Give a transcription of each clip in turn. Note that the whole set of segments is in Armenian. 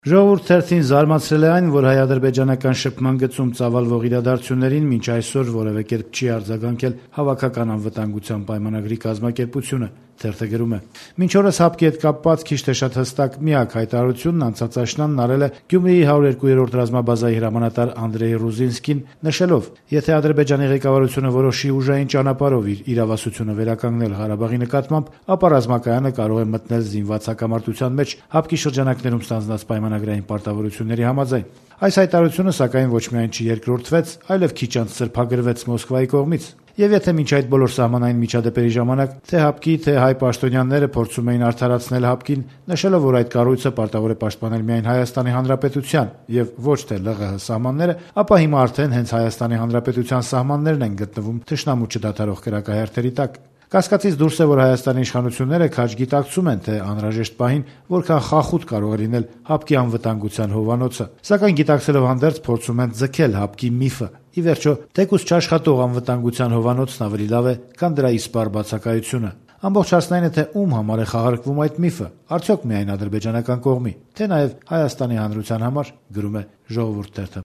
Ժողովուրդ թերթին զարմացրել է այն, որ հայ-ադրբեջանական շփման գծում ծավալվող իրադարձություններին մինչ այսօր որևէ կերպ չի արձագանքել Հավաքական անվտանգության պայմանագրի կազմակերպությունը։ Թերթը գրում է. «Մինչ օրս ՀԱՊԿ-ի հետ կապված քիչ թե շատ հստակ միակ հայտարարությունն անցած աշնանն արել է Գյումրիի 102-րդ ռազմաբազայի հրամանատար Անդրեյ Ռուզինսկին, նշելով. եթե Ադրբեջանի ղեկավարությունը որոշի ուժային ճանապարհով իր իրավասությունը վերականգնել Ղարաբաղի նկատմամբ, ապա ռազմակայանը կարող է մտնել զինված հակամարտության մեջ ՀԱՊԿ-ի շրջանակներում ստանձնած պայմանագրային պարտավորությունների համաձայն։ Այս հայտարարությունը սակայն ոչ միայն չերկրորդվեց, այլև քիչ անց սրբագրվեց Մոսկվայի կողմից։ Եվ եթե մինչ այդ բոլոր սահմանային միջադեպերի ժամանակ թե ՀԱՊԿ-ի, թե հայ պաշտոնյաները փորձում էին արդարացնել ՀԱՊԿ-ին, նշելով, որ այդ կառույցը պարտավոր է պաշտպանել միայն Հայաստանի Հանրապետության եւ ոչ թե ԼՂՀ սահմանները, ապա հիմա արդեն հենց Հայաստանի Հանրապետության սահմաններն են գտնվում թշնամու չդադարող կրակահերթերի տակ։ Կասկածից դուրս է, որ Հայաստանի իշխանությունները քաջ գիտակցում են, թե անհրաժեշտ պահին որքան խախուտ կարող է լինել ՀԱՊԿ-ի անվտանգության հովանոցը, սակայն գիտակցելով հանդերձ փորձում են ձգել ՀԱՊԿ-ի միֆը։ Ի վերջո, թեկուզ չաշխատող անվտանգության հովանոցն ավելի լավ է, քան դրա իսպառ բացակայությունը։ Ամբողջ հարցն այն է, թե ում համար է խաղարկվում այդ միֆը, արդյոք միայն ադրբեջանական կողմի, թե նաև Հայաստանի հանրության համար, գրում է Ժողովուրդ թերթը։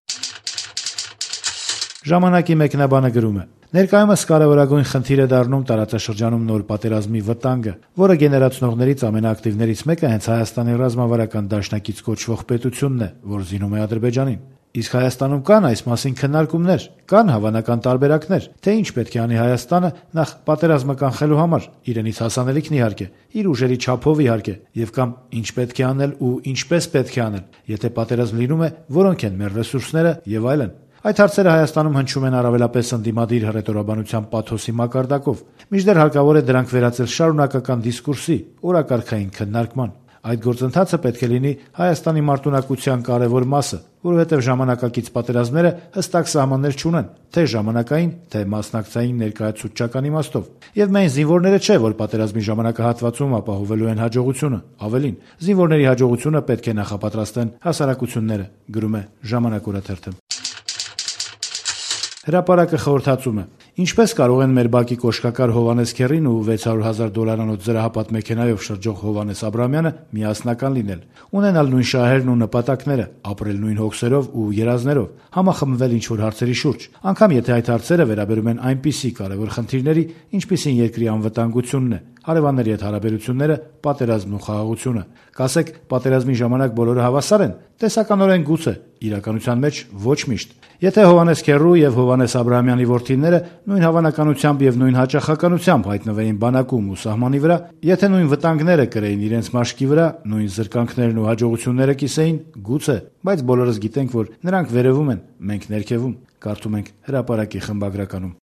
Ժամանակի մեկնաբանը գրում է. ներկայումս կարևորագույն խնդիր է դառնում տարածաշրջանում նոր պատերազմի վտանգը, որը գեներացնողներից ամենաակտիվներից մեկը հենց Հայաստանի ռազմավարական դաշնակից կոչվող պետությունն է, որ զինում է Ադրբեջանին։ Իսկ Հայաստանում կան այս մասին քննարկումներ, կան հավանական տարբերակներ, թե ինչ պետք է անի Հայաստանը նախ պատերազմը կանխելու համար, իրենից հասանելիքն իհարկե, իր ուժերի չափով իհարկե, եւ կամ ինչ պետք է անել ու ինչպես պետք է անել, եթե պատերազմ լինում է, որոնք են մեր ռեսուրսները եւ այլն։ Այդ հարցերը Հայաստանում հնչում են առավելապես ընդդիմադիր հռետորաբանության պաթոսի մակարդակով, մինչդեռ հարկավոր է դրանք վերածել շարունակական դիսկուրսի, օրակարգային քննարկման։ Այդ գործընթացը պետք է լինի Հայաստանի մարտունակության կարևոր մասը, որովհետև ժամանակակից պատերազմները հստակ սահմաններ չունեն, թե ժամանակային, թե մասնակցային ներկայացուցչական իմաստով։ Եվ միայն զինվորները չէ, որ պատերազմի ժամանակահատվածում ապահովելու են հաջողությունը, ավելին, զինվորների հաջողությունը պետք է նախապատրաստեն հասարակությունները, գրում է Ժամանակ օրաթերթը։ Հրապարակը խորհրդածում է. ինչպես կարող են մեր բակի կոշկակար Հովհաննես Քեռին ու $600,000 զրահապատ մեքենայով շրջող Հովհաննես Աբրահամյանը միասնական լինել, ունենալ նույն շահերն ու նպատակները, ապրել նույն հոգսերով ու երազներով, համախմբվել ինչ-որ հարցերի շուրջ, անգամ եթե այդ հարցերը վերաբերում են այնպիսի կարևոր խնդիրների, ինչպիսին երկրի անվտանգությունն է, հարևանների հետ հարաբերությունները, պատերազմն ու խաղաղությունը։ Կասեք, պատերազմի ժամանակ բոլորը հավասար են, տեսականորեն գուցե, իրականության մեջ ոչ միշտ։ Եթե Հովհաննես Քեռու եւ Հովհաննես Աբրահամյանի որդիները նույն հավանականությամբ եւ նույն հաճախականությամբ հայտնվեին բանակում ու սահմանի վրա, եթե նույն վտանգները կրեին իրենց մաշկի վրա, նույն զրկանքներն ու հաջողությունները կիսեին, գուցե, բայց բոլորս գիտենք, որ նրանք վերևում են, մենք ներքևում, կարդում ենք Հրապարակի խմբագրականում։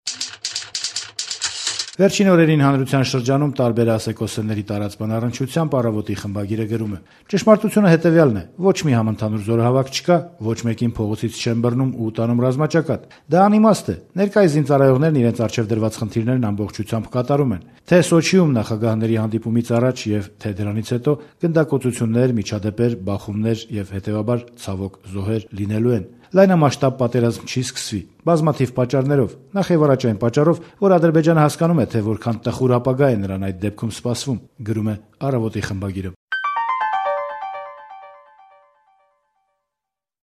Վերջին օրերին հանրության շրջանում տարբեր ասեկոսների տարածման առնչությամբ Առավոտի խմբագիրը գրում է. ճշմարտությունը հետևյալն է. ոչ մի համընդհանուր զորահավաք չկա, ոչ մեկին փողոցից չեն բռնում ու տանում ռազմաճակատ։ Դա անիմաստ է։ Ներկայիս զինծառայողներն իրենց առջև դրված խնդիրներն ամբողջությամբ կատարում են։ Թե Սոչիում նախագահների հանդիպումից առաջ եւ թե դրանից հետո գնդակոծություններ, միջադեպեր, բախումներ եւ հետեւաբար ցավոք զոհեր լինելու են։ Լայնամասշտաբ պատերազմ չի սկսվի, բազմաթիվ պատճառներով, նախ եւ առաջ այն պատճառով, որ Ադրբեջանը հասկանում է, թե որքան տխուր ապագա է նրան այդ դեպքում սպասվում, գրում է Առավոտի խմբագիրը։